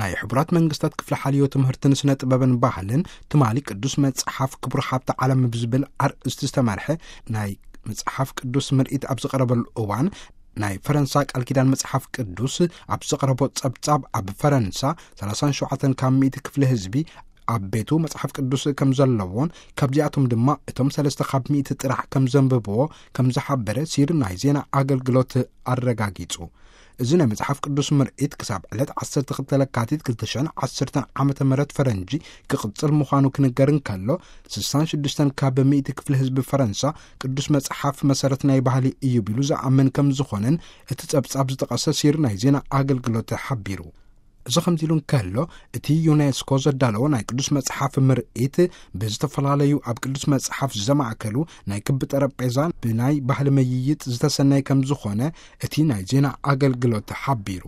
ናይ ሕቡራት መንግስታት ክፍሊ ሓልዮ ትምህርትን ስነ ጥበብን ባህልን ትማሊ ቅዱስ መጽሓፍ ክቡር ሃብቲ ዓለም ብዝብል ኣርእስቲ ዝተመርሐ ናይ መጽሓፍ ቅዱስ ምርኢት ኣብ ዝቐረበሉ እዋን፣ ናይ ፈረንሳ ቃል ኪዳን መጽሓፍ ቅዱስ ኣብ ዘቕረቦ ጸብጻብ፣ ኣብ ፈረንሳ ሰላሳን ሸውዓተን ካብ ሚእቲ ክፍሊ ህዝቢ ኣብ ቤቱ መጽሓፍ ቅዱስ ከም ዘለዎን ካብዚኣቶም ድማ እቶም ሰለስተ ካብ ሚእቲ ጥራሕ ከም ዘንብብዎ ከም ዝሓበረ ሲር ናይ ዜና ኣገልግሎት ኣረጋጊጹ። እዚ ናይ መጽሓፍ ቅዱስ ምርኢት ክሳብ ዕለት ዓሰርተ ክልተ ለካቲት ክልተ ሽሕን ዓሰርተን ዓመተ ምህረት ፈረንጂ ክቕጽል ምዃኑ ክንገር እንከሎ፣ ስሳን ሽዱሽተን ካብ ሚእቲ ክፍሊ ህዝቢ ፈረንሳ ቅዱስ መጽሓፍ መሰረት ናይ ባህሊ እዩ ቢሉ ዝኣምን ከም ዝኾነን እቲ ጸብጻብ ዝጠቐሰ ሲር ናይ ዜና ኣገልግሎት ሓቢሩ። እዚ ከምዚ ኢሉ እንከሎ፣ እቲ ዩኔስኮ ዘዳለዎ ናይ ቅዱስ መጽሓፍ ምርኢት ብዝተፈላለዩ ኣብ ቅዱስ መጽሓፍ ዘማእከሉ ናይ ክቢ ጠረጴዛ ብናይ ባህሊ ምይይጥ ዝተሰነየ ከም ዝኾነ እቲ ናይ ዜና ኣገልግሎት ሓቢሩ።